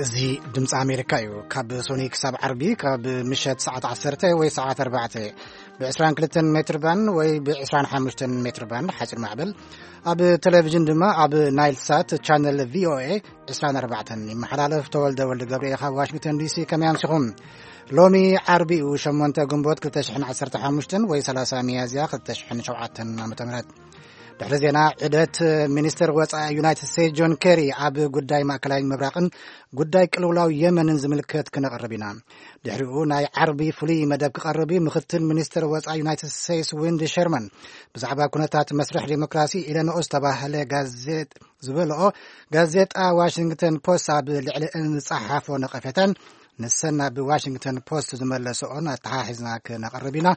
እዚ ድምፂ ኣሜሪካ እዩ። ካብ ሶኒ ክሳብ ዓርቢ ካብ ምሸት ሰዓት ዓሰርተ ወይ ሰዓት ኣርባዕተ ብ ዕስራን ክልተን ሜትር ባንድ ወይ ብ ዕስራን ሓሙሽተን ሜትር ባንድ ሓፂር ማዕበል፣ ኣብ ቴሌቪዥን ድማ ኣብ ናይል ሳት ቻነል ቪ ኦ ኤ ዕስራን ኣርባዕተን ይመሓላለፍ። ተወልደ ወልደ ገብርኤል ካብ ዋሽንግተን ዲ ሲ፣ ከመይ ኣምሲኹም? ሎሚ ዓርቢ እዩ፣ ሸሞንተ ግንቦት ክልተ ሽሕን ዓሰርተ ሓሙሽተን ወይ ሰላሳ ሚያዝያ ክልተ ሽሕን ሸውዓተን ዓመተ ምህረት። ድሕሪ ዜና ዑደት ሚኒስትር ወጻኢ ዩናይትድ ስቴትስ ጆን ኬሪ ኣብ ጉዳይ ማእከላይ ምብራቕን ጉዳይ ቅልውላው የመንን ዝምልከት ክነቕርብ ኢና። ድሕሪኡ ናይ ዓርቢ ፍሉይ መደብ ክቐርብ እዩ። ምኽትል ሚኒስትር ወጻኢ ዩናይትድ ስቴትስ ዊንዲ ሸርማን ብዛዕባ ኩነታት መስርሕ ዲሞክራሲ ኢለንኦ ዝተባህለ ጋዜጥ ዝበልኦ ጋዜጣ ዋሽንግተን ፖስት ኣብ ልዕሊ እንጸሓፎ ነቐፌታን ንሰን ኣብ ዋሽንግተን ፖስት ዝመለሰኦን ኣተሓሒዝና ክነቕርብ ኢና።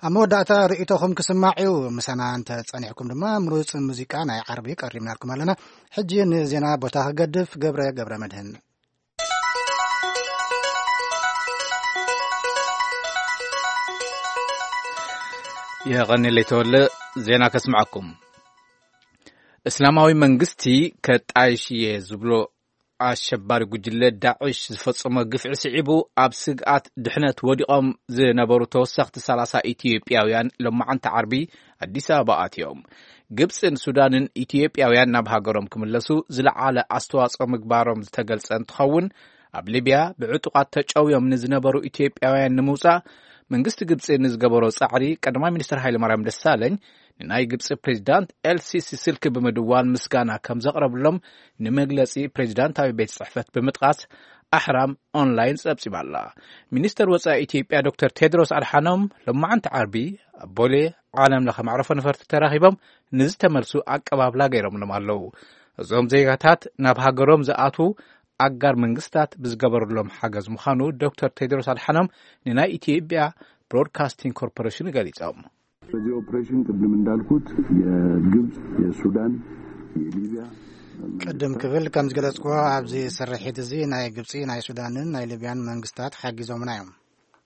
ኣብ መወዳእታ ርእይቶኹም ክስማዕ እዩ። ምሳና እንተ ጸኒሕኩም ድማ ምሩጽ ሙዚቃ ናይ ዓርቢ ቀሪብናልኩም ኣለና። ሕጂ ንዜና ቦታ ክገድፍ፣ ገብረ ገብረ መድህን። የቐንየለይ ተወለ፣ ዜና ከስምዓኩም። እስላማዊ መንግስቲ ከጣይሽ እየ ዝብሎ ኣሸባሪ ጉጅለ ዳዕሽ ዝፈጸሞ ግፍዒ ስዒቡ፣ ኣብ ስግኣት ድሕነት ወዲቖም ዝነበሩ ተወሰኽቲ ሰላሳ ኢትዮጵያውያን ሎማዓንቲ ዓርቢ ኣዲስ ኣበባ ኣትዮም። ግብጽን ሱዳንን ኢትዮጵያውያን ናብ ሃገሮም ክምለሱ ዝለዓለ ኣስተዋጽኦ ምግባሮም ዝተገልጸ እንትኸውን፣ ኣብ ሊብያ ብዕጡቓት ተጨውዮም ንዝነበሩ ኢትዮጵያውያን ንምውጻእ መንግስቲ ግብጺ ንዝገበሮ ጻዕሪ ቀዳማይ ሚኒስትር ሃይለማርያም ደሳለኝ ንናይ ግብጺ ፕሬዚዳንት ኤልሲሲ ስልኪ ብምድዋል ምስጋና ከም ዘቕረብሎም ንመግለጺ ፕሬዚዳንታዊ ቤት ጽሕፈት ብምጥቃስ ኣሕራም ኦንላይን ጸብጺባ ኣላ። ሚኒስተር ወጻኢ ኢትዮጵያ ዶክተር ቴድሮስ ኣድሓኖም ሎማዓንቲ ዓርቢ ኣብ ቦሌ ዓለም ለኸ መዕረፎ ነፈርቲ ተራኺቦም ንዝተመልሱ ኣቀባብላ ገይሮምሎም ኣለዉ። እዞም ዜጋታት ናብ ሃገሮም ዝኣትዉ ኣጋር መንግስታት ብዝገበሩሎም ሓገዝ ምዃኑ ዶክተር ቴድሮስ ኣድሓኖም ንናይ ኢትዮጵያ ብሮድካስቲንግ ኮርፖሬሽን ገሊጾም። በዚህ ኦፕሬሽን ቅድም እንዳልኩት የግብፅ፣ የሱዳን፣ የሊቢያ ቅድም ክብል ከም ዝገለጽኩዎ ኣብዚ ስርሒት እዚ ናይ ግብጺ፣ ናይ ሱዳንን ናይ ሊብያን መንግስታት ሓጊዞምና እዮም።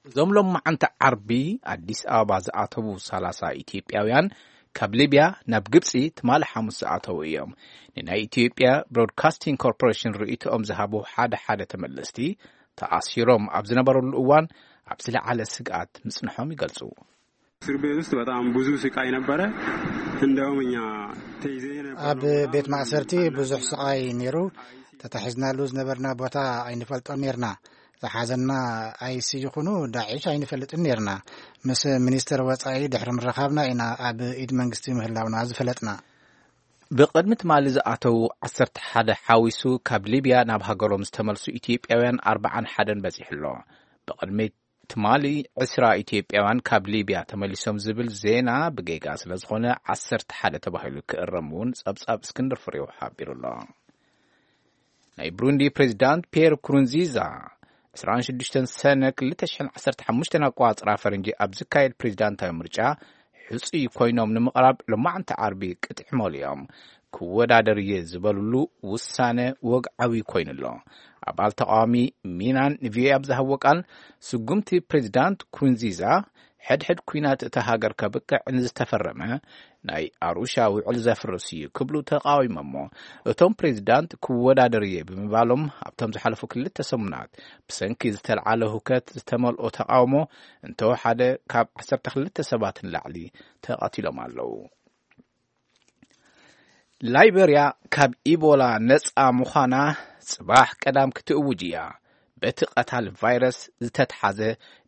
እዞም ሎማዓንቲ ዓርቢ ኣዲስ ኣበባ ዝኣተዉ ሰላሳ ኢትዮጵያውያን ካብ ሊብያ ናብ ግብጺ ትማሊ ሓሙስ ዝኣተዉ እዮም። ንናይ ኢትዮጵያ ብሮድካስቲንግ ኮርፖሬሽን ርእይቶኦም ዝሃቡ ሓደ ሓደ ተመለስቲ ተኣሲሮም ኣብ ዝነበረሉ እዋን ኣብ ዝለዓለ ስግኣት ምጽንሖም ይገልጹ። እስር ቤት ውስጥ በጣም ብዙ ስቃይ ነበረ። እንደውም እኛ ተይዘን የነበርነው ኣብ ቦታ ቤት ማእሰርቲ ብዙሕ ስቃይ ነይሩ። ተታሒዝናሉ ዝነበርና ቦታ ኣይንፈልጦን ነይርና። ዝሓዘና ኣይሲ ይኹኑ ዳዒሽ ኣይንፈልጥን ነይርና። ምስ ሚኒስተር ወጻኢ ድሕሪ ምርኻብና ኢና ኣብ ኢድ መንግስቲ ምህላውና ዝፈለጥና። ብቕድሚ ትማሊ ዝኣተዉ ዓሰርተ ሓደ ሓዊሱ ካብ ሊብያ ናብ ሃገሮም ዝተመልሱ ኢትዮጵያውያን ኣርብዓን ሓደን በጺሑ ኣሎ። ብቕድሚ ትማሊ ዕስራ ኢትዮጵያውያን ካብ ሊብያ ተመሊሶም ዝብል ዜና ብጌጋ ስለ ዝኾነ ዓሰርተ ሓደ ተባሂሉ ክእረም እውን ጸብጻብ እስክንድር ፍሬው ሓቢሩ ኣሎ። ናይ ብሩንዲ ፕሬዚዳንት ፒየር ኩሩንዚዛ ዕስራን ሽዱሽተን ሰነ ክልተ ሽሕን ዓሰርተ ሓሙሽተን ኣቋጽራ ፈረንጂ ኣብ ዝካየድ ፕሬዚዳንታዊ ምርጫ ሕጹይ ኮይኖም ንምቕራብ ሎማዕንቲ ዓርቢ ቅጥዒ መሊኦም ክወዳደር እየ ዝበሉሉ ውሳነ ወግዓዊ ኮይኑ ኣሎ። ኣባል ተቃዋሚ ሚናን ንቪኦኤ ኣብ ዝሃብዎ ቃል፣ ስጉምቲ ፕሬዚዳንት ኩሩንዚዛ ሕድሕድ ኲናት እታ ሃገር ከብቅዕ ንዝተፈረመ ናይ ኣሩሻ ውዕል ዘፍርስ እዩ ክብሉ ተቃዊሞሞ። እቶም ፕሬዚዳንት ክወዳደር እየ ብምባሎም ኣብቶም ዝሓለፉ ክልተ ሰሙናት ብሰንኪ ዝተልዓለ ሁከት ዝተመልኦ ተቃውሞ እንተወሓደ ካብ ዓሰርተ ክልተ ሰባት ንላዕሊ ተቐቲሎም ኣለዉ። ላይበርያ ካብ ኢቦላ ነጻ ምዃና ጽባሕ ቀዳም ክትእውጅ እያ። በቲ ቀታል ቫይረስ ዝተትሓዘ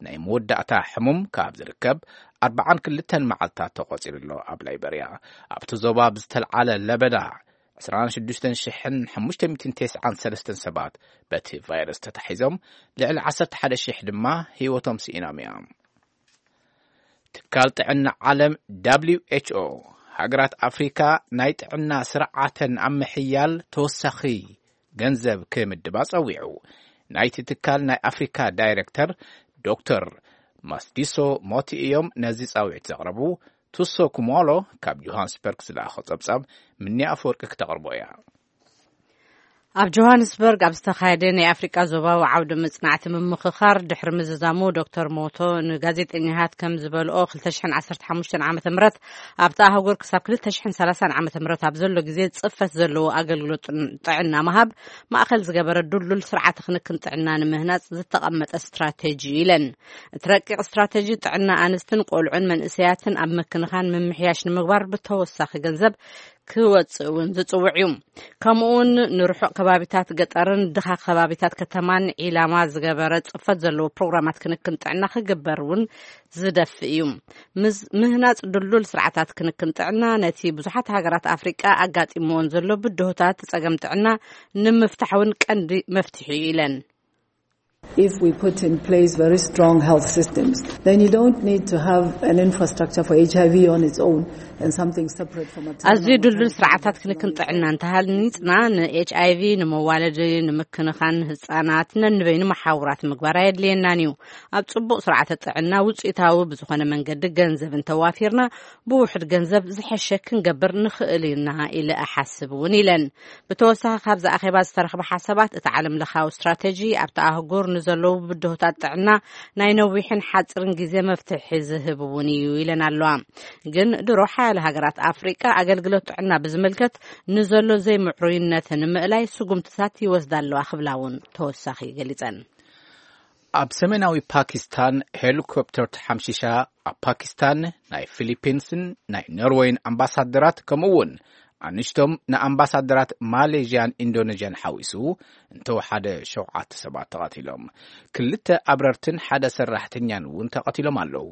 ናይ መወዳእታ ሕሙም ካብ ዝርከብ ኣርብዓን ክልተን መዓልታት ተቖጺሩ ኣሎ። ኣብ ላይበርያ ኣብቲ ዞባ ብዝተልዓለ ለበዳ ዕስራን ሽዱሽተን ሽሕን ሓሙሽተ ሚእትን ተስዓን ሰለስተን ሰባት በቲ ቫይረስ ተታሒዞም፣ ልዕሊ ዓሰርተ ሓደ ሽሕ ድማ ህይወቶም ስኢኖም እዮም። ትካል ጥዕና ዓለም ደብሊው ኤች ኦ ሃገራት ኣፍሪካ ናይ ጥዕና ስርዓተን ኣብ ምሕያል ተወሳኺ ገንዘብ ክምድባ ጸዊዑ። ናይቲ ትካል ናይ ኣፍሪካ ዳይሬክተር ዶክተር ማስዲሶ ሞቲ እዮም ነዚ ጻውዒት ዘቕረቡ። ቱሶ ኩሞሎ ካብ ጆሃንስበርግ ዝለኣኾ ጸብጻብ ምኒ ኣፈወርቂ ክተቕርቦ እያ። ኣብ ጆሃንስበርግ ኣብ ዝተኻየደ ናይ ኣፍሪቃ ዞባዊ ዓውደ መጽናዕቲ ምምኽኻር ድሕሪ ምዝዛሙ፣ ዶክተር ሞቶ ንጋዜጠኛታት ከም ዝበልኦ፣ ክልተ ሽሕን ዓሰርተ ሓሙሽተን ዓመተ ምህረት ኣብታ ኣህጉር ክሳብ ክልተ ሽሕን ሰላሳን ዓመተ ምህረት ኣብ ዘሎ ግዜ ጽፈት ዘለዎ ኣገልግሎት ጥዕና ምሃብ ማእከል ዝገበረ ድልዱል ስርዓተ ክንክን ጥዕና ንምህናጽ ዝተቐመጠ ስትራቴጂ ኢለን። እቲ ረቂቕ ስትራቴጂ ጥዕና ኣንስትን ቆልዑን መንእሰያትን ኣብ ምክንኻን ምምሕያሽ ንምግባር ብተወሳኺ ገንዘብ ክወጽእ እውን ዝጽውዕ እዩ። ከምኡውን ንርሑቕ ከባቢታት ገጠርን ድኻ ከባቢታት ከተማን ዒላማ ዝገበረ ጽፈት ዘለዎ ፕሮግራማት ክንክን ጥዕና ክግበር እውን ዝደፍእ እዩ። ምህናጽ ድልዱል ስርዓታት ክንክን ጥዕና ነቲ ብዙሓት ሃገራት ኣፍሪቃ ኣጋጢምዎን ዘሎ ብድሆታት ጸገም ጥዕና ንምፍታሕ እውን ቀንዲ መፍትሒ እዩ ኢለን። If we put in place very strong health systems, then you don't need to have an infrastructure for H I V on its own and something separate from maternal ኣዝዩ ድልዱል ስርዓታት ክንክን ጥዕና እንተሃኒጽና፣ ን ኤች ኣይ ቪ፣ ንመዋለዲ፣ ንምክንኻን ህጻናት ነንበይኑ መሓውራት ምግባር ኣየድልየናን እዩ። ኣብ ጽቡቕ ስርዓተ ጥዕና ውጽኢታዊ ብዝኾነ መንገዲ ገንዘብ እንተዋፊርና፣ ብውሑድ ገንዘብ ዝሐሸ ክንገብር ንኽእል ኢና ኢለ እሓስብ እውን ኢለን። ብተወሳኺ፣ ካብዚ ኣኼባ ዝተረኽበ ሓሳባት፣ እቲ ዓለም ለኻዊ ስትራቴጂ ኣብቲ ኣህጉር ንዘለዉ ብድሆታት ጥዕና ናይ ነዊሕን ሓፂርን ግዜ መፍትሒ ዝህብ እውን እዩ ኢለን ኣለዋ። ግን ድሮ ሓያለ ሃገራት ኣፍሪቃ ኣገልግሎት ጥዕና ብዝምልከት ንዘሎ ዘይምዕሩይነት ንምእላይ ስጉምትታት ይወስዳ ኣለዋ ክብላ እውን ተወሳኺ ገሊፀን። ኣብ ሰሜናዊ ፓኪስታን ሄሊኮፕተር ተሓምሺሻ፣ ኣብ ፓኪስታን ናይ ፊሊፒንስን ናይ ኖርወይን ኣምባሳደራት፣ ከምኡ እውን ኣንሽቶም ንኣምባሳደራት ማሌዥያን ኢንዶኔዥያን ሓዊሱ እንተወሓደ ሸውዓተ ሰባት ተቐቲሎም። ክልተ ኣብረርትን ሓደ ሰራሕተኛን እውን ተቐቲሎም ኣለዉ።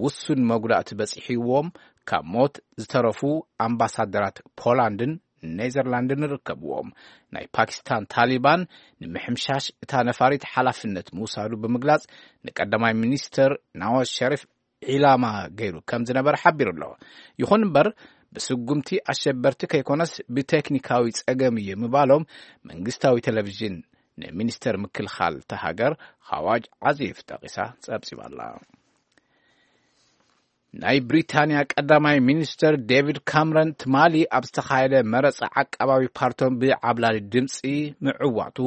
ውሱን መጉዳእቲ በፂሕዎም ካብ ሞት ዝተረፉ ኣምባሳደራት ፖላንድን ኔዘርላንድን ይርከብዎም። ናይ ፓኪስታን ታሊባን ንምሕምሻሽ እታ ነፋሪት ሓላፍነት ምውሳዱ ብምግላጽ፣ ንቀዳማይ ሚኒስተር ናዋዝ ሸሪፍ ዒላማ ገይሩ ከም ዝነበረ ሓቢሩ ኣሎ። ይኹን እምበር፣ ብስጉምቲ ኣሸበርቲ ከይኮነስ ብቴክኒካዊ ጸገም እዩ ምባሎም መንግስታዊ ቴሌቪዥን ንሚኒስተር ምክልኻል እታ ሃገር ኻዋጅ ዓዚፍ ጠቒሳ ጸብጺባ ኣላ። ናይ ብሪታንያ ቀዳማይ ሚኒስተር ዴቪድ ካምረን ትማሊ ኣብ ዝተኻየደ መረጻ ዓቃባዊ ፓርቶም ብዓብላሊ ድምጺ ምዕዋቱ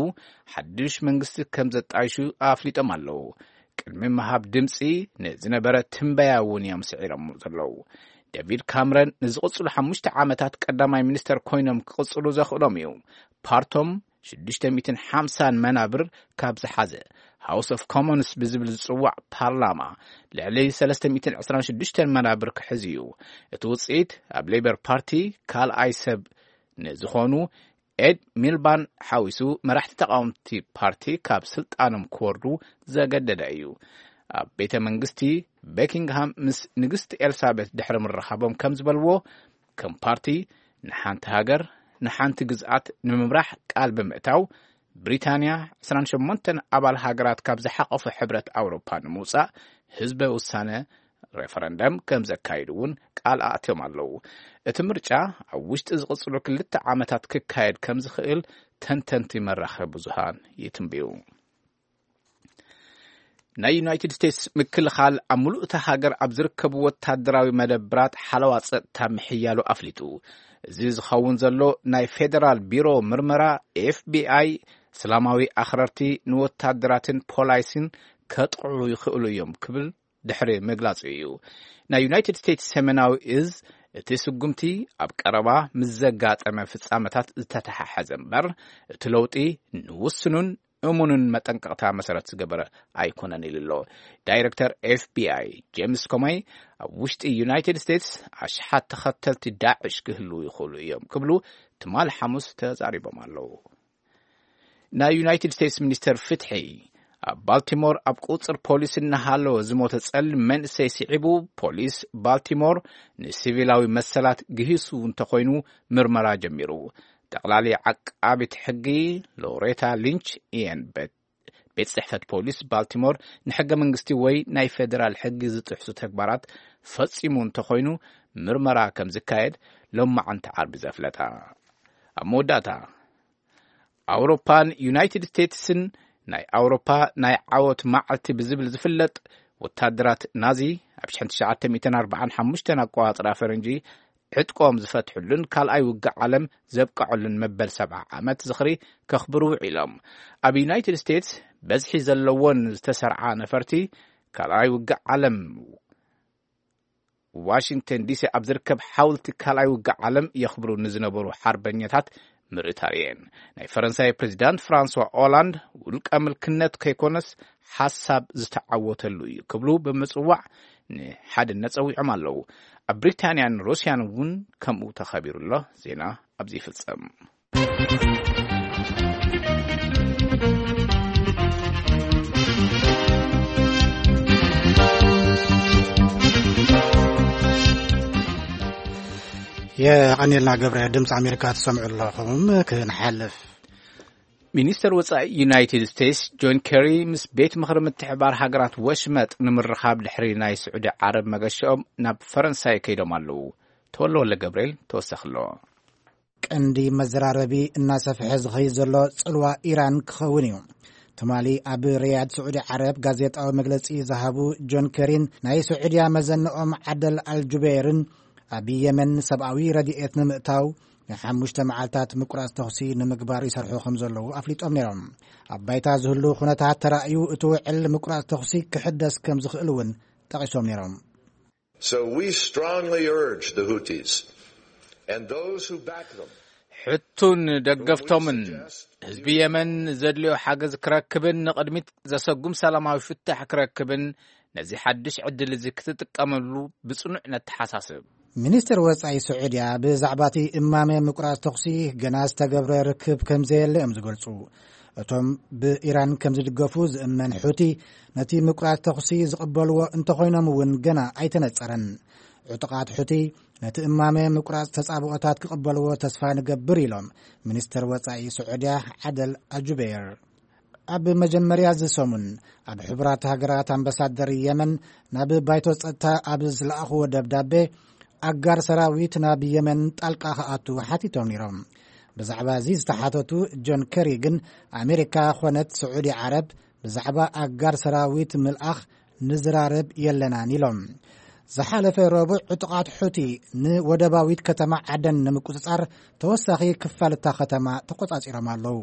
ሓድሽ መንግስቲ ከም ዘጣይሹ ኣፍሊጦም ኣለዉ። ቅድሚ ምሃብ ድምጺ ንዝነበረ ትንበያ እውን እዮም ስዒሮም ዘለዉ። ዴቪድ ካምረን ንዝቕጽሉ ሓሙሽተ ዓመታት ቀዳማይ ሚኒስተር ኮይኖም ክቕጽሉ ዘኽእሎም እዩ። ፓርቶም ሽዱሽተ ሚእትን ሓምሳን መናብር ካብ ዝሓዘ፣ ሃውስ ኦፍ ኮሞንስ ብዝብል ዝጽዋዕ ፓርላማ፣ ልዕሊ ሰለስተ ሚእትን ዕስራን ሽዱሽተን መናብር ክሕዝ እዩ። እቲ ውጽኢት ኣብ ሌበር ፓርቲ ካልኣይ ሰብ ንዝኾኑ ኤድ ሚልባን ሓዊሱ መራሕቲ ተቃወምቲ ፓርቲ ካብ ስልጣኖም ክወርዱ ዘገደደ እዩ። ኣብ ቤተ መንግስቲ በኪንግሃም ምስ ንግስቲ ኤልሳቤት ድሕሪ ምርኻቦም ከም ዝበልዎ፣ ከም ፓርቲ ንሓንቲ ሃገር፣ ንሓንቲ ግዝኣት ንምምራሕ ቃል ብምእታው፣ ብሪታንያ ዕስራን ሸሞንተን ኣባል ሃገራት ካብ ዝሓቆፈ ሕብረት ኣውሮፓ ንምውጻእ ህዝበ ውሳነ፣ ሬፈረንደም፣ ከም ዘካይዱ እውን ቃል ኣእትዮም ኣለዉ። እቲ ምርጫ ኣብ ውሽጢ ዝቕጽሉ ክልተ ዓመታት ክካየድ ከም ዝኽእል ተንተንቲ መራኸቢ ብዙሃን ይትንብዩ። ናይ ዩናይትድ ስቴትስ ምክልኻል ኣብ ምሉእ እታ ሃገር ኣብ ዝርከቡ ወታደራዊ መደብራት ሓለዋ ጸጥታ ምሕያሉ ኣፍሊጡ። እዚ ዝኸውን ዘሎ፣ ናይ ፌደራል ቢሮ ምርመራ፣ ኤፍ ቢ ኣይ፣ እስላማዊ ኣኽረርቲ ንወታደራትን ፖላይስን ከጥቕዑ ይኽእሉ እዮም ክብል ድሕሪ ምግላጹ እዩ። ናይ ዩናይትድ ስቴትስ ሰሜናዊ እዝ፣ እቲ ስጉምቲ ኣብ ቀረባ ምስ ዘጋጠመ ፍጻመታት ዝተተሓሓዘ እምበር፣ እቲ ለውጢ ንውስኑን እሙንን መጠንቀቕታ መሰረት ዝገበረ ኣይኮነን ኢሉ ኣሎ። ዳይረክተር ኤፍ ቢ ኣይ ጄምስ ኮመይ፣ ኣብ ውሽጢ ዩናይትድ ስቴትስ ኣሽሓት ተኸተልቲ ዳዕሽ ክህልዉ ይኽእሉ እዮም ክብሉ ትማሊ ሓሙስ ተዛሪቦም ኣለዉ። ናይ ዩናይትድ ስቴትስ ሚኒስተር ፍትሒ፣ ኣብ ባልቲሞር ኣብ ቁጽር ፖሊስ እናሃለወ ዝሞተ ጸሊም መንእሰይ ስዒቡ፣ ፖሊስ ባልቲሞር ንሲቪላዊ መሰላት ግሂሱ እንተኾይኑ ምርመራ ጀሚሩ። ጠቕላሊ ዓቃቢት ሕጊ ሎሬታ ሊንች ኢየን ቤት ቤት ጽሕፈት ፖሊስ ባልቲሞር ንሕገ መንግስቲ ወይ ናይ ፌደራል ሕጊ ዝጥሕሱ ተግባራት ፈጺሙ እንተኾይኑ ምርመራ ከም ዝካየድ ሎማዓንቲ ዓርቢ ዘፍለጣ። ኣብ መወዳእታ፣ ኣውሮፓን ዩናይትድ ስቴትስን ናይ ኣውሮፓ ናይ ዓወት መዓልቲ ብዝብል ዝፍለጥ፣ ወታደራት ናዚ ኣብ ሽሕን ትሽዓተ ሚእትን ኣርባዓን ሓሙሽተን ኣቆጻጽራ ፈረንጂ ዕጥቆም ዝፈትሕሉን ካልኣይ ውግእ ዓለም ዘብቅዐሉን መበል ሰብዓ ዓመት ዝኽሪ ከኽብሩ ውዒሎም። ኣብ ዩናይትድ ስቴትስ በዝሒ ዘለዎን ዝተሰርዓ ነፈርቲ ካልኣይ ውግእ ዓለም ዋሽንግተን ዲሲ ኣብ ዝርከብ ሓውልቲ ካልኣይ ውግእ ዓለም የኽብሩ ንዝነበሩ ሓርበኛታት ምርኢት ኣርእየን። ናይ ፈረንሳይ ፕሬዚዳንት ፍራንስዋ ኦላንድ ውልቀ ምልክነት ከይኮነስ ሓሳብ ዝተዓወተሉ እዩ ክብሉ ብምጽዋዕ ንሓድነት ጸዊዖም ኣለዉ። ኣብ ብሪታንያን ሩስያን እውን ከምኡ ተኸቢሩ ኣሎ። ዜና ኣብዚ ይፍጸም። የቐኔልና ገብረ፣ ድምፂ ኣሜሪካ ትሰምዑ ኣለኹም። ክንሓልፍ፣ ሚኒስተር ወፃኢ ዩናይትድ ስቴትስ ጆን ኬሪ ምስ ቤት ምኽሪ ምትሕባር ሃገራት ወሽመጥ ንምርኻብ ድሕሪ ናይ ስዑዲ ዓረብ መገሻኦም ናብ ፈረንሳይ ከይዶም ኣለዉ። ተወለ ወለ ገብርኤል ተወሳኺ ኣለዎ። ቀንዲ መዘራረቢ እናሰፍሐ ዝኸይድ ዘሎ ጽልዋ ኢራን ክኸውን እዩ። ትማሊ ኣብ ሪያድ ስዑዲ ዓረብ ጋዜጣዊ መግለጺ ዝሃቡ ጆን ኬሪን ናይ ስዑድያ መዘንኦም ዓደል ኣልጁበይርን ኣብ የመን ሰብኣዊ ረድኤት ንምእታው ንሓሙሽተ መዓልታት ምቁራጽ ተኹሲ ንምግባር ይሰርሑ ከም ዘለዉ ኣፍሊጦም ነይሮም። ኣብ ባይታ ዝህሉ ኩነታት ተራእዩ እቲ ውዕል ምቁራጽ ተኹሲ ክሕደስ ከም ዝኽእል እውን ጠቒሶም ነይሮም። So we strongly urge the Houthis and those who back them ሕቱን ደገፍቶምን ህዝቢ የመን ዘድልዮ ሓገዝ ክረክብን ንቕድሚት ዘሰጉም ሰላማዊ ፍታሕ ክረክብን ነዚ ሓድሽ ዕድል እዚ ክትጥቀመሉ ብጽኑዕ ነተሓሳስብ። ሚኒስትር ወጻኢ ስዑድያ ብዛዕባ እቲ እማመ ምቁራጽ ተኹሲ ገና ዝተገብረ ርክብ ከም ዘየለ እዮም ዝገልጹ። እቶም ብኢራን ከም ዝድገፉ ዝእመን ሑቲ ነቲ ምቁራጽ ተኹሲ ዝቕበልዎ እንተኾይኖም እውን ገና ኣይተነጸረን። ዕጡቓት ሑቲ ነቲ እማመ ምቁራጽ ተጻብኦታት ክቕበልዎ ተስፋ ንገብር ኢሎም ሚኒስትር ወጻኢ ስዑድያ ዓደል ኣጁቤር። ኣብ መጀመርያ እዚ ሰሙን ኣብ ሕቡራት ሃገራት ኣምባሳደር የመን ናብ ባይቶ ጸጥታ ኣብ ዝለኣኽዎ ደብዳቤ ኣጋር ሰራዊት ናብ የመን ጣልቃ ክኣቱ ሓቲቶም ነይሮም። ብዛዕባ እዚ ዝተሓተቱ ጆን ኬሪ ግን ኣሜሪካ ኾነት ስዑዲ ዓረብ ብዛዕባ ኣጋር ሰራዊት ምልኣኽ ንዝራረብ የለናን ኢሎም። ዝሓለፈ ረቡዕ ዕጡቓት ሑቲ ንወደባዊት ከተማ ዓደን ንምቁጽጻር ተወሳኺ ክፋል እታ ከተማ ተቆጻጺሮም ኣለዉ።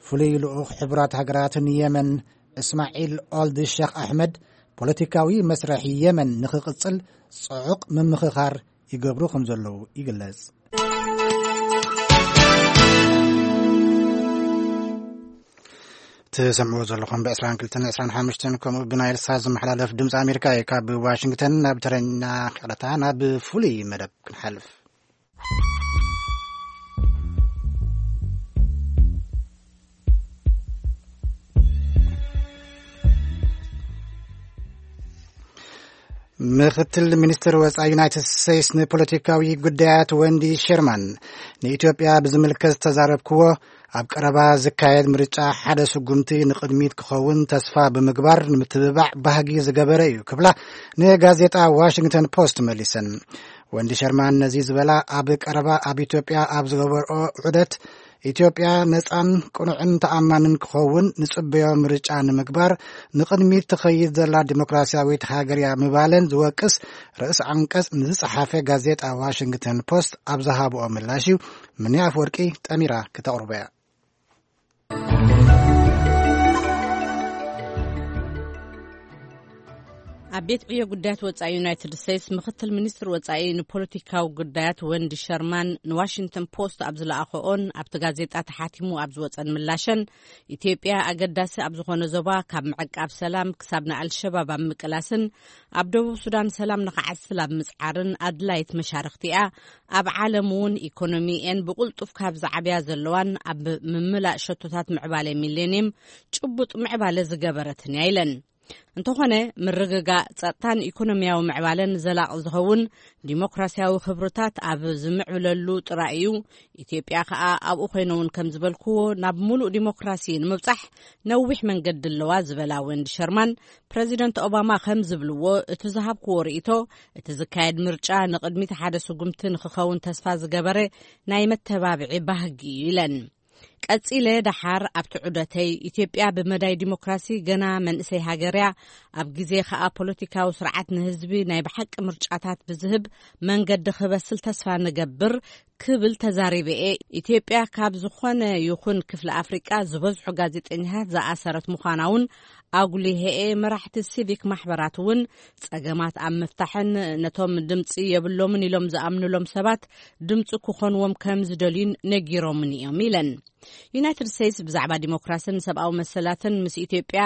ፍሉይ ልኡኽ ሕቡራት ሃገራት ንየመን እስማዒል ኦልድ ሸኽ ኣሕመድ ፖለቲካዊ መስርሕ የመን ንኽቕጽል ጽዑቕ ምምኽኻር ይገብሩ ከም ዘለዉ ይግለጽ። ትሰምዕዎ ዘለኹም ብ22 25 ከምኡ ብናይል ሳት ዝመሓላለፍ ድምፂ ኣሜሪካ እዩ። ካብ ዋሽንግተን ናብ ተረኛ ክቕረታ ናብ ፍሉይ መደብ ክንሓልፍ። ምክትል ሚኒስትር ወፃኢ ዩናይትድ ስቴትስ ንፖለቲካዊ ጉዳያት ወንዲ ሸርማን ንኢትዮጵያ ብዝምልከት ዝተዛረብክዎ ኣብ ቀረባ ዝካየድ ምርጫ ሓደ ስጉምቲ ንቕድሚት ክኸውን ተስፋ ብምግባር ንምትብባዕ ባህጊ ዝገበረ እዩ ክብላ ንጋዜጣ ዋሽንግተን ፖስት መሊሰን። ወንዲ ሸርማን ነዚ ዝበላ ኣብ ቀረባ ኣብ ኢትዮጵያ ኣብ ዝገበርኦ ዑደት ኢትዮጵያ ነፃን ቅኑዕን ተኣማንን ክኸውን ንጽበዮ ምርጫ ንምግባር ንቕድሚት ትኸይድ ዘላ ዲሞክራሲያዊት ሃገር እያ ምባለን ዝወቅስ ርእስ ዓንቀጽ ንዝጸሓፈ ጋዜጣ ዋሽንግተን ፖስት ኣብ ዝሃብኦ ምላሽ እዩ። ምኒ ኣፍወርቂ ጠሚራ ክተቕርቦ እያ። ኣብ ቤት ዕዮ ጉዳያት ወጻኢ ዩናይትድ ስቴትስ ምክትል ሚኒስትር ወጻኢ ንፖለቲካዊ ጉዳያት ወንዲ ሸርማን ንዋሽንግተን ፖስት ኣብ ዝለኣኸኦን ኣብቲ ጋዜጣ ተሓቲሙ ኣብ ዝወጸን ምላሸን፣ ኢትዮጵያ ኣገዳሲ ኣብ ዝኾነ ዞባ ካብ ምዕቃብ ሰላም ክሳብ ንኣልሸባብ ኣብ ምቅላስን ኣብ ደቡብ ሱዳን ሰላም ንኽዓስል ኣብ ምጽዓርን ኣድላይት መሻርኽቲ እያ። ኣብ ዓለም እውን ኢኮኖሚኤን ብቕልጡፍ ካብ ዝዓብያ ዘለዋን ኣብ ምምላእ ሸቶታት ምዕባለ ሚሌኒየም ጭቡጥ ምዕባለ ዝገበረትን እያ ኢለን። እንተኾነ፣ ምርግጋእ ጸጥታን ኢኮኖሚያዊ ምዕባለን ዘላቒ ዝኸውን ዲሞክራሲያዊ ክብርታት ኣብ ዝምዕብለሉ ጥራይ እዩ። ኢትዮጵያ ከኣ ኣብኡ ኮይነ እውን ከም ዝበልክዎ ናብ ሙሉእ ዲሞክራሲ ንምብጻሕ ነዊሕ መንገዲ ኣለዋ ዝበላ ወንዲ ሸርማን፣ ፕረዚደንት ኦባማ ከም ዝብልዎ እቲ ዝሃብክዎ ርእይቶ እቲ ዝካየድ ምርጫ ንቕድሚት ሓደ ስጉምቲ ንክኸውን ተስፋ ዝገበረ ናይ መተባብዒ ባህጊ እዩ ኢለን። ቀጺለ ደሓር ኣብቲ ዑደተይ፣ ኢትዮጵያ ብመዳይ ዲሞክራሲ ገና መንእሰይ ሃገር እያ፣ ኣብ ግዜ ከኣ ፖለቲካዊ ስርዓት ንህዝቢ ናይ ብሓቂ ምርጫታት ብዝህብ መንገዲ ክበስል ተስፋ ንገብር ክብል ተዛሪበ እየ። ኢትዮጵያ ካብ ዝኾነ ይኹን ክፍሊ ኣፍሪቃ ዝበዝሑ ጋዜጠኛታት ዝኣሰረት ምዃና እውን ኣጉሊሀ እየ። መራሕቲ ሲቪክ ማሕበራት እውን ጸገማት ኣብ ምፍታሕን ነቶም ድምጺ የብሎምን ኢሎም ዝኣምኑሎም ሰባት ድምጺ ክኾንዎም ከም ዝደልዩን ነጊሮምን እዮም ኢለን። ዩናይትድ ስቴትስ ብዛዕባ ዲሞክራስን ሰብኣዊ መሰላትን ምስ ኢትዮጵያ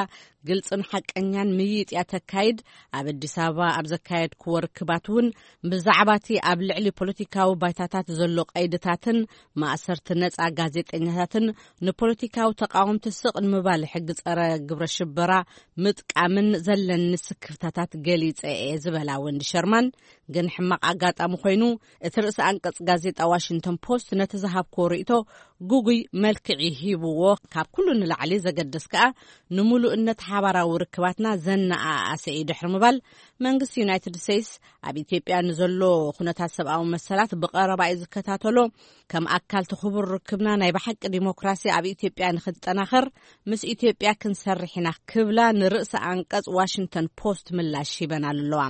ግልጽን ሓቀኛን ምይይጥ እያ ተካይድ። ኣብ ኣዲስ ኣበባ ኣብ ዘካየድክዎ ርክባት እውን ብዛዕባ እቲ ኣብ ልዕሊ ፖለቲካዊ ባይታታት ዘሎ ቀይድታትን ማእሰርቲ ነጻ ጋዜጠኛታትን ንፖለቲካዊ ተቃወምቲ ስቕ ንምባል ሕጊ ጸረ ግብረ ሽበራ ምጥቃምን ዘለኒ ስክፍታታት ገሊጸ እየ ዝበላ ወንዲ ሸርማን፣ ግን ሕማቕ ኣጋጣሚ ኮይኑ እቲ ርእሲ ኣንቀጽ ጋዜጣ ዋሽንግተን ፖስት ነቲ ዝሃብክዎ ርእይቶ ግጉይ መልክዕ ሂብዎ። ካብ ኩሉ ንላዕሊ ዘገድስ ከኣ ንምሉእነት ሓባራዊ ርክባትና ዘነኣኣሰ እዩ ድሕሪ ምባል፣ መንግስቲ ዩናይትድ ስቴትስ ኣብ ኢትዮጵያ ንዘሎ ኩነታት ሰብኣዊ መሰላት ብቐረባ እዩ ዝከታተሎ። ከም ኣካል እቲ ክቡር ርክብና ናይ ብሓቂ ዲሞክራሲ ኣብ ኢትዮጵያ ንክጠናኸር ምስ ኢትዮጵያ ክንሰርሕ ኢና ክብላ ንርእሲ ኣንቀጽ ዋሽንግተን ፖስት ምላሽ ሂበን ኣለዋ።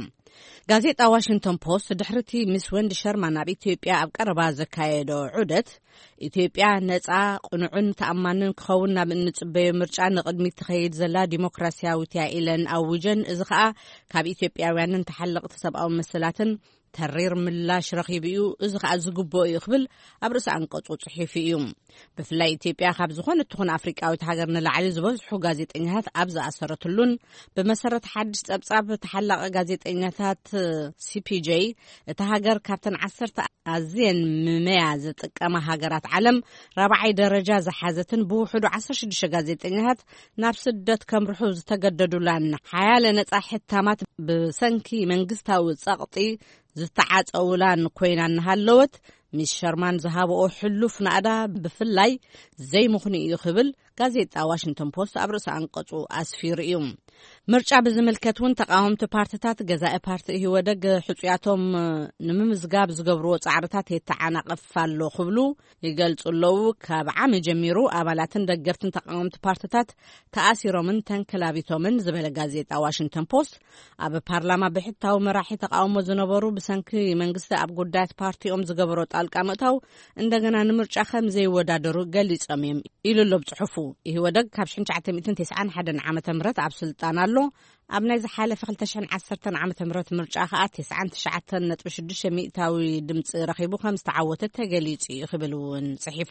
ጋዜጣ ዋሽንግተን ፖስት ድሕሪቲ ምስ ወንዲ ሸርማን ኣብ ኢትዮጵያ ኣብ ቀረባ ዘካየዶ ዑደት፣ ኢትዮጵያ ነጻ፣ ቅኑዕን ተኣማንን ክኸውን ናብ እንጽበዮ ምርጫ ንቕድሚት ትኸይድ ዘላ ዲሞክራሲያዊት እያ ኢለን ኣውጀን። እዚ ኸኣ ካብ ኢትዮጵያውያንን ተሓለቕቲ ሰብኣዊ መሰላትን ተሪር ምላሽ ረኺቡ እዩ። እዚ ኸኣ ዝግብኦ እዩ ክብል ኣብ ርእሲ ኣንቀጹ ጽሒፉ እዩ። ብፍላይ ኢትዮጵያ ካብ ዝኾነት ትኹን ኣፍሪቃዊት ሃገር ንላዕሊ ዝበዝሑ ጋዜጠኛታት ኣብ ዝኣሰረትሉን፣ ብመሰረት ሓድሽ ጸብጻብ ተሓላቒ ጋዜጠኛታት ሲፒጄ፣ እታ ሃገር ካብተን ዓሰርተ ኣዝየን ምመያ ዝጥቀማ ሃገራት ዓለም ራብዓይ ደረጃ ዝሓዘትን ብውሕዱ ዓሰርተ ሽዱሽተ ጋዜጠኛታት ናብ ስደት ከምርሑ ዝተገደዱላን ሓያለ ነጻ ሕታማት ብሰንኪ መንግስታዊ ጸቕጢ ዝተዓጸውላን ኮይና እናሃለወት፣ ሚስ ሸርማን ዝሃብኦ ሕሉፍ ናእዳ ብፍላይ ዘይምኽኑ እዩ ክብል ጋዜጣ ዋሽንግተን ፖስት ኣብ ርእሲ ኣንቀጹ ኣስፊሩ እዩ። ምርጫ ብዝምልከት እውን ተቃወምቲ ፓርትታት ገዛኢ ፓርቲ ኢህወደግ ሕጹያቶም ንምምዝጋብ ዝገብርዎ ጻዕርታት የተዓናቕፍ ኣሎ ክብሉ ይገልጹ ኣለዉ። ካብ ዓሚ ጀሚሩ ኣባላትን ደገፍትን ተቃወምቲ ፓርትታት ተኣሲሮምን ተንከላቢቶምን ዝበለ ጋዜጣ ዋሽንግተን ፖስት፣ ኣብ ፓርላማ ብሕታዊ መራሒ ተቃውሞ ዝነበሩ ብሰንኪ መንግስቲ ኣብ ጉዳያት ፓርቲኦም ዝገበሮ ጣልቃ ምእታው እንደገና ንምርጫ ከም ዘይወዳደሩ ገሊጾም እዮም ኢሉ ኣሎ ብጽሑፉ። ኢህወደግ ካብ ሽሕን ትሽዓተ ሚእትን ተስዓን ሓደን ዓመተ ምህረት ኣብ ስልጣን ኣሎ። ኣብ ናይ ዝሓለፈ ክልተ ሽሕን ዓሰርተን ዓመተ ምህረት ምርጫ ከኣ ተስዓን ትሽዓተን ነጥቢ ሽዱሽተ ሚእታዊ ድምጺ ረኺቡ ከም ዝተዓወተ ተገሊጹ እዩ ክብል እውን ጽሒፉ።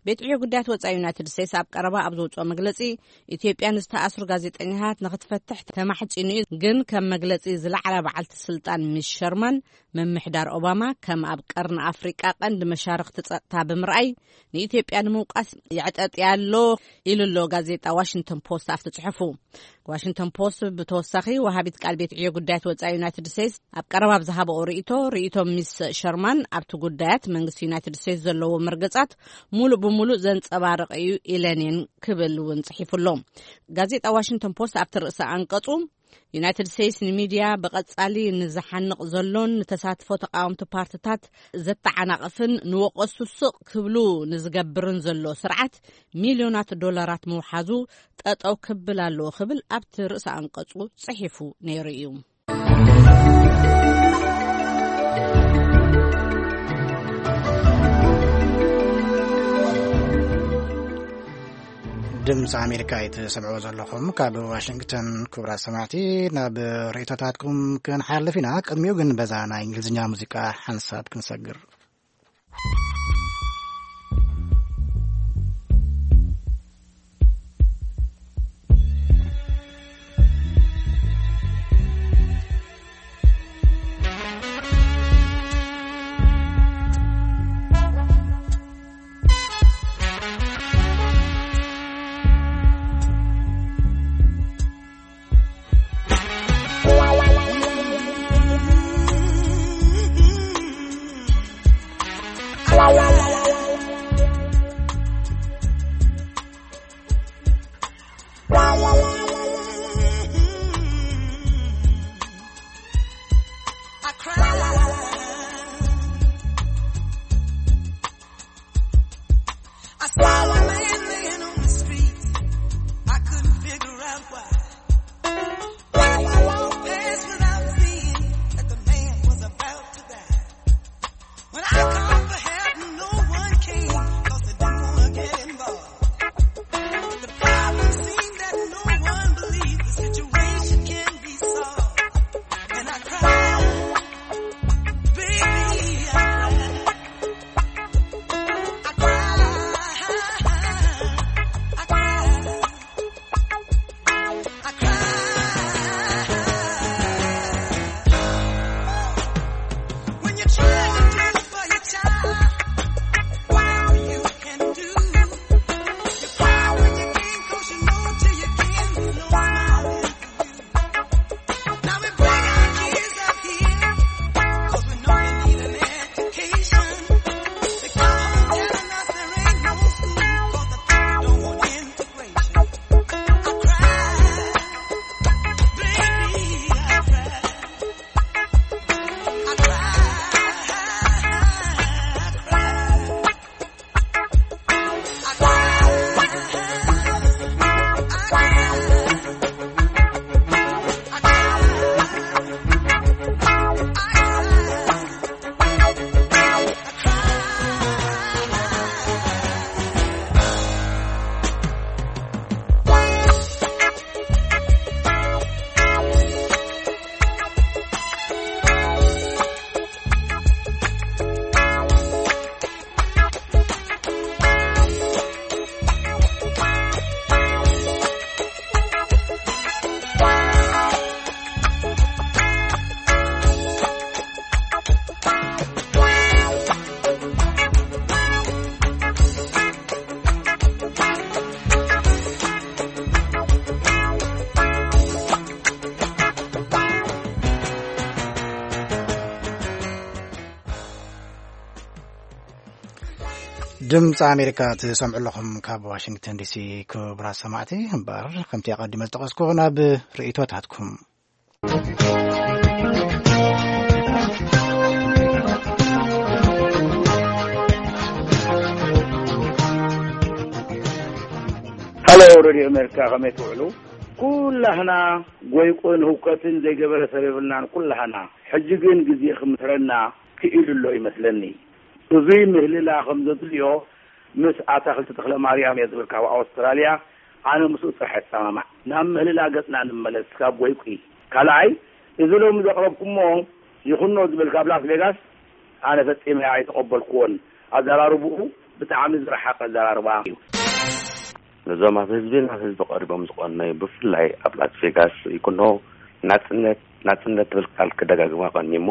ቤት ዕዮ ጉዳያት ወጻኢ ዩናይትድ ስቴትስ ኣብ ቀረባ ኣብ ዘውጽኦ መግለጺ፣ ኢትዮጵያ ንዝተኣስሩ ጋዜጠኛታት ንክትፈትሕ ተማሕጺኑ እዩ፣ ግን ከም መግለጺ ዝለዓላ በዓልቲ ስልጣን ሚስ ሸርማን፣ ምምሕዳር ኦባማ ከም ኣብ ቀርኒ ኣፍሪቃ ቀንዲ መሻርኽቲ ጸጥታ ብምርኣይ ንኢትዮጵያ ንምውቃስ ይዕጠጥያ ኣሎ ኢሉ ኣሎ ጋዜጣ ዋሽንግተን ፖስት ኣብቲ ጽሑፉ። ዋሽንግተን ፖስት ብተወሳኺ ወሃቢት ቃል ቤት ዕዮ ጉዳያት ወጻኢ ዩናይትድ ስቴትስ ኣብ ቀረባ ኣብ ዝሃበኦ ርእይቶ፣ ርእይቶ ሚስ ሸርማን ኣብቲ ጉዳያት መንግስቲ ዩናይትድ ስቴትስ ዘለዎ መርገጻት ሙሉእ ብሙሉእ ዘንጸባርቕ እዩ ኢለን እየን ክብል እውን ጽሒፉ ኣሎ። ጋዜጣ ዋሽንግተን ፖስት ኣብቲ ርእሲ ኣንቀጹ፣ ዩናይትድ ስቴትስ ንሚድያ ብቐጻሊ ንዝሓንቕ ዘሎን ንተሳትፎ ተቃወምቲ ፓርትታት ዘተዓናቕፍን ንወቀሱ ስቕ ክብሉ ንዝገብርን ዘሎ ስርዓት ሚልዮናት ዶላራት ምውሓዙ ጠጠው ክብል ኣለዎ ክብል ኣብቲ ርእሲ ኣንቀጹ ጽሒፉ ነይሩ እዩ። ድምፂ ኣሜሪካ እዩ ትሰምዕዎ ዘለኹም ካብ ዋሽንግተን። ክቡራት ሰማዕቲ፣ ናብ ርእይቶታትኩም ክንሓልፍ ኢና። ቅድሚኡ ግን በዛ ናይ እንግሊዝኛ ሙዚቃ ሓንሳብ ክንሰግር። ድምፂ ኣሜሪካ ትሰምዑ ኣለኹም ካብ ዋሽንግተን ዲሲ። ክቡራት ሰማዕቲ፣ እምበር ከምቲ ኣቐዲመ ዝጠቐስኩ ናብ ርእይቶታትኩም። ሃሎ፣ ሬድዮ ኣሜሪካ፣ ከመይ ትውዕሉ? ኩላህና ጎይቁን ህውከትን ዘይገበረ ሰብ የብልናን። ኩላህና ሕጂ ግን ግዜ ክምስረና ክኢሉ ኣሎ ይመስለኒ። እዙይ ምህልላ ከም ዘድልዮ ምስ ኣታኽልቲ ተኽለ ማርያም እየ ዝብል ካብ ኣውስትራልያ፣ ኣነ ምስኡ ጥራሕ እሰማማዕ። ናብ ምህልላ ገጽና ንመለስ ካብ ጎይቁ። ካልኣይ፣ እዚ ሎሚ ዘቕረብኩሞ ይኹኖ ዝብል ካብ ላስ ቬጋስ ኣነ ፈጺመ ኣይተቐበልኩዎን። ኣዘራርብኡ ብጣዕሚ ዝረሓቐ ኣዘራርባ እዩ። ነዞም ኣብ ህዝቢ ናብ ህዝቢ ቀሪቦም ዝቐነዩ፣ ብፍላይ ኣብ ላስ ቬጋስ ይኩኖ ናጽነት ናጽነት ትብል ቃል ክደጋግማ ቀኒሞ፣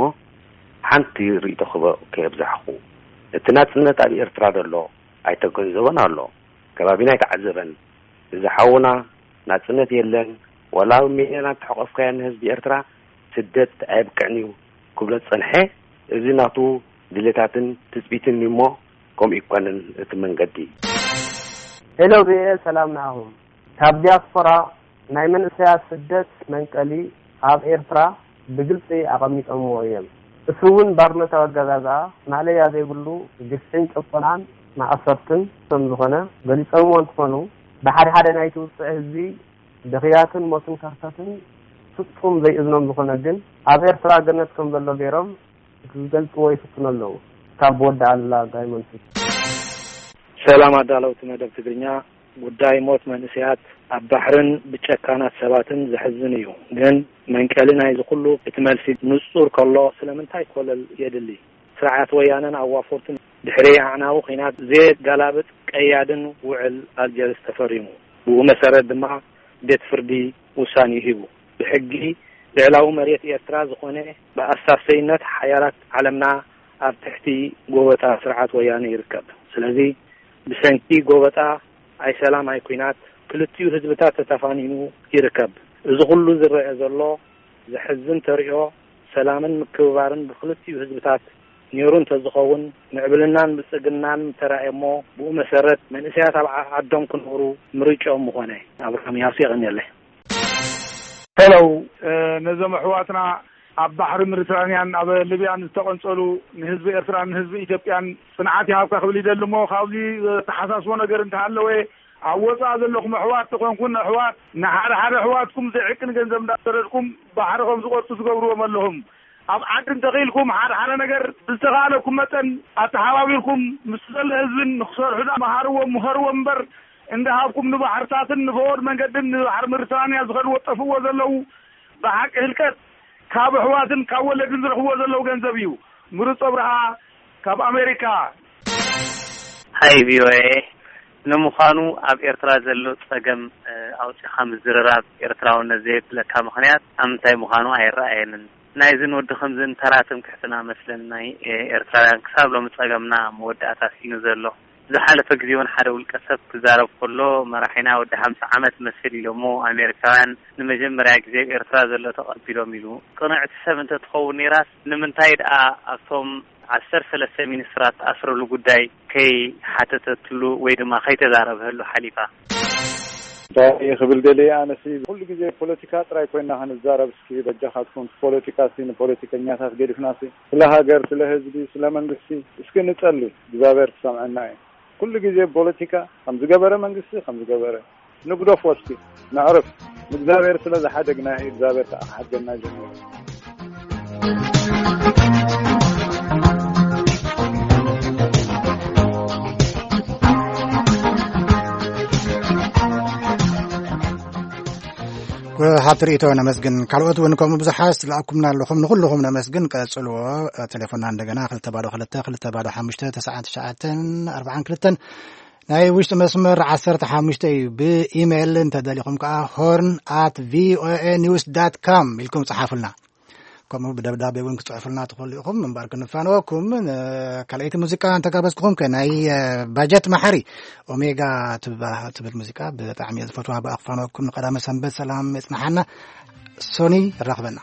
ሓንቲ ርእይቶ ክበ-፣ ከየብዛሕኹ፣ እቲ ናጽነት ኣብ ኤርትራ ዘሎ ኣይተገንዘቦን ኣሎ፣ ከባቢና ኣይተዓዘበን። እዚ ሓውና ናጽነት የለን፣ ዋላ ኣብ ሚልዮናት ተሐቆፍካዮ ንህዝቢ ኤርትራ ስደት ኣየብቅዕን እዩ ክብሎ ዝጸንሐ፣ እዚ ናቱ ድሌታትን ትጽቢትን እዩ እሞ፣ ከምኡ ይኮንን እቲ መንገዲ። ሄሎ ቪኦኤ፣ ሰላም ንዓኹም። ካብ ዲያስፖራ ናይ መንእሰያት ስደት መንቀሊ ኣብ ኤርትራ ብግልጺ ኣቐሚጦምዎ እዮም። እሱ እውን ባርነታዊ ኣገዛዝኣ ማእለያ ዘይብሉ ግፍዕን ጭቆናን ማእሰርትን ከም ዝኾነ ገሊጾምዎ እንትኾኑ፣ ብሓደ ሓደ ናይቲ ውጽዕ ህዝቢ ብኽያትን ሞትን ከርተትን ፍጹም ዘይእዝኖም ዝኾነ ግን ኣብ ኤርትራ ገነት ከም ዘሎ ገይሮም ክገልጽዎ ይፍትኑ ኣለዉ። ካብ ወዲ ኣሉላ ጋይመንቱ። ሰላም ኣዳለውቲ መደብ ትግርኛ። ጉዳይ ሞት መንእሰያት ኣብ ባሕርን ብጨካናት ሰባትን ዘሕዝን እዩ። ግን መንቀሊ ናይዚ ኩሉ እቲ መልሲ ንጹር ከሎ ስለምንታይ ኮለል የድሊ? ስርዓት ወያነን ኣዋፈርቱን ድሕሪ ኣዕናዊ ኲናት ዘየጋላብጥ ቀያድን ውዕል ኣልጀርስ ተፈሪሙ። ብኡ መሰረት ድማ ቤት ፍርዲ ውሳኔ ሂቡ። ብሕጊ ልዕላዊ መሬት ኤርትራ ዝኾነ ብኣሳሰይነት ሓያላት ዓለምና ኣብ ትሕቲ ጎበጣ ስርዓት ወያነ ይርከብ። ስለዚ ብሰንኪ ጎበጣ ኣይ ሰላም ኣይ ኲናት ክልቲኡ ህዝብታት ተተፋኒኑ ይርከብ። እዚ ኩሉ ዝረአ ዘሎ ዘሕዝን ተርእዮ ሰላምን ምክብባርን ብክልቲኡ ህዝብታት ነይሩ እንተዝኸውን ምዕብልናን ብልጽግናን ምተራእየ እሞ ብኡ መሰረት መንእሰያት ኣብ ዓ-፣ ዓዶም ክነብሩ ምርጫኦም ምኾነ። ኣብርሃም ያሱ የቐንየለይ። ሄሎ፣ እ፣ ነዞም ኣሕዋትና ኣብ ባሕሪ ሜዲትራንያን ኣብ ሊብያን ዝተቐንጸሉ ንህዝቢ ኤርትራን ንህዝቢ ኢትዮጵያን ጽንዓት ይሃብካ ክብል ይደሊ እሞ ካብዚ ዘተሓሳስቦ ነገር እንተሃለወ ኣብ ወጻኢ ዘለኹም ኣሕዋት ተኾንኩን ኣሕዋት ንሓደ ሓደ ኣሕዋትኩም ዘይዕቅን ገንዘብ እንዳሰደድኩም ባሕሪ ከም ዝቆርጹ ትገብርዎም ኣለኹም። ኣብ ዓዲ እንተኽኢልኩም ሓደ ሓደ ነገር ብዝተኻእለኩም መጠን ኣተሓባቢርኩም ምስ ዘሎ ህዝብን ንክሰርሑ ዳ መሃርዎም ምኸርዎም እምበር እንዳሃብኩም ንባሕርታትን ንፈወድ መንገድን ንባሕሪ ምርትራንያ ዝኸድዎ ጠፍዎ ዘለዉ ብሓቂ ህልቀት ካብ ኣሕዋትን ካብ ወለድን ዝረኽብዎ ዘለዉ ገንዘብ እዩ። ምሩፅ ኣብርሃ ካብ ኣሜሪካ። ሃይ ቪኦኤ፣ ንምዃኑ ኣብ ኤርትራ ዘሎ ጸገም፣ እ፣ ኣውጺኻ ምዝርራብ ኤርትራውነት ዘየብለካ ምኽንያት ኣብ ምንታይ ምዃኑ ኣይረኣየንን። ናይዝን ወዲ ከምዝን ተራ ትምክሕትና መስለኒ ናይ፣ እ፣ ኤርትራውያን ክሳብ ሎሚ ጸገምና መወዳእታ ስኢኑ ዘሎ። ዝሓለፈ ግዜ እውን ሓደ ውልቀ ሰብ ክዛረብ ከሎ መራሒና ወዲ ሓምሳ ዓመት መስል ኢሎሞ ኣሜሪካውያን ንመጀመርያ ግዜ ኣብ ኤርትራ ዘሎ ተቐቢሎም ኢሉ። ቅንዕቲ ሰብ እንተትኸውን ነይራስ ንምንታይ ደኣ ኣብቶም ዓሰርተ ሰለስተ ሚኒስትራት ተኣስረሉ ጉዳይ ከይሓተተትሉ ወይ ድማ ከይተዛረበሉ ሓሊፋ? እንታይ ክብል ደልየ ኣነሲ ኩሉ ግዜ ፖለቲካ ጥራይ ኮይና ክንዛረብ እስኪ በጃኻትኩም ፖለቲካ ሲ ንፖለቲከኛታት ገዲፍና ሲ ስለ ሃገር ስለ ህዝቢ ስለ መንግስቲ እስኪ ንጸሊ እግዚኣብሔር ክሰምዐና እዩ። ኩሉ ግዜ ፖለቲካ ከም ዝገበረ መንግስቲ ከም ዝገበረ ንግደፎ እስኪ ነዕርፍ። ንእግዚኣብሔር ስለ ዝሓደግና እዩ እግዚኣብሔር ከዓ ክሓድገና ጀሚሩ። ሃብቲ ርእይቶ ነመስግን። ካልኦት እውን ከምኡ ብዙሓት ዝለኣኩምና ኣለኹም። ንኹልኹም ነመስግን። ቀጽልዎ። ቴሌፎንና እንደገና ክልተ ባዶ ክልተ ክልተ ባዶ ሓሙሽተ ተስዓን ትሽዓተን ኣርባዓን ክልተን ናይ ውሽጢ መስመር ዓሰርተ ሓሙሽተ እዩ። ብኢሜይል እንተደሊኹም ከዓ ሆርን ኣት ቪኦኤ ኒውስ ዳት ካም ኢልኩም ጸሓፉልና። ከምኡ ብደብዳቤ እውን ክጽሕፉልና ትኽእሉ ኢኹም። እምበር ክንፋነወኩም፣ ን-፣ ካልኣይቲ ሙዚቃ እንተጋበዝኩኹም ከ ናይ፣ እ፣ ባጀት መሓሪ ኦሜጋ ትባ-፣ ትብል ሙዚቃ ብጣዕሚ እየ ዝፈትዋ። ብኣ ክፋነወኩም። ንቐዳመ ሰንበት ሰላም የጽንሓና። ሶኒ ይራኽበና።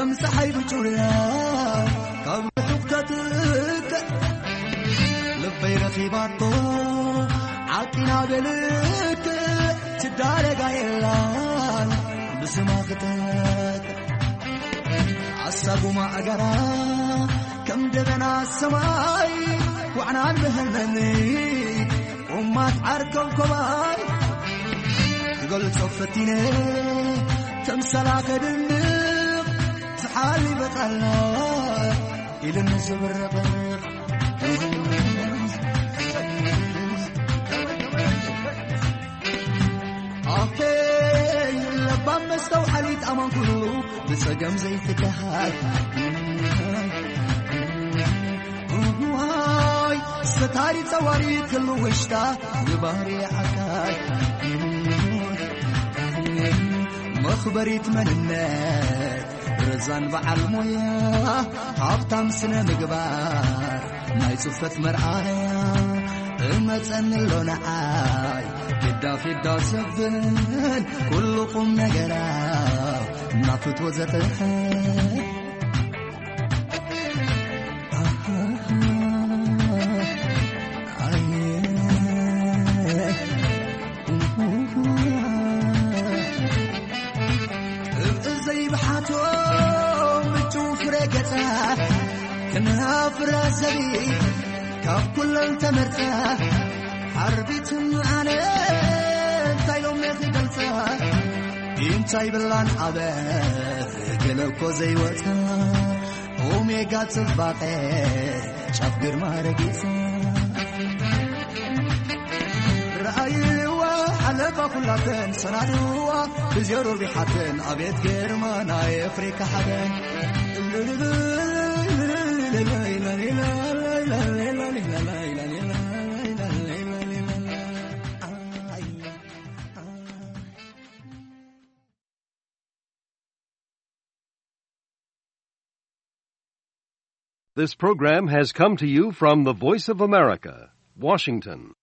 ከም ፀሓይ ብጩርያ ካብ ርሑቕ ተትልክዕ ልበይ ረኺባቶ ዓቂና ብልክዕ ትዳረጋ የላን ብስማ ክተክዕ ኣሳጉማ ኣገራ ከም ደበና ሰማይ ዋዕናን ብህልመኒ ቁማት ዓርከብ ኮባይ ክገልጾ ፈቲነ ተምሰላ ከድንቕ ዝሓልበ ቃላ ኢልን ዝብረቕ ኣፌ ለባም መስተውዓሊት ኣማን ኩሉ ብጸገም ዘይትከሃል ዋይ ሰታሪ ጸዋሪ ክሉ ውሽጣ ንባህሪ ዓካል መኽበሪት መንነት ረዛን በዓል ሞያ ሃብታም ስነ ምግባር ናይ ጽፈት መርኣያ እመጸኒ ኣሎ ንዓይ ፊዳ ፊዳ ዘብል ኩሉ ቁም ነገራ ናፍት ወዘተ ዘይብሓቶ ምጭው ፍረ ገጻ ክንሃፍራ ዘቢ ካብ ኩለን ተመርጻ ሓርቢትን ኣነ እንታይ ኢሎም ክገልጻ እንታይ ብላን ኣበ ገለ እኮ ዘይወጻ ኦሜጋ ጽባቐ ጫፍ ግርማ ረጊጽ ረኣይዋ ሓለፋ ኩላተን ሰናድዋ ብዜሮ ቢሓተን ኣቤት ግርማ ናይ ኣፍሪካ ሓበን This program has come to you from the Voice of America, Washington.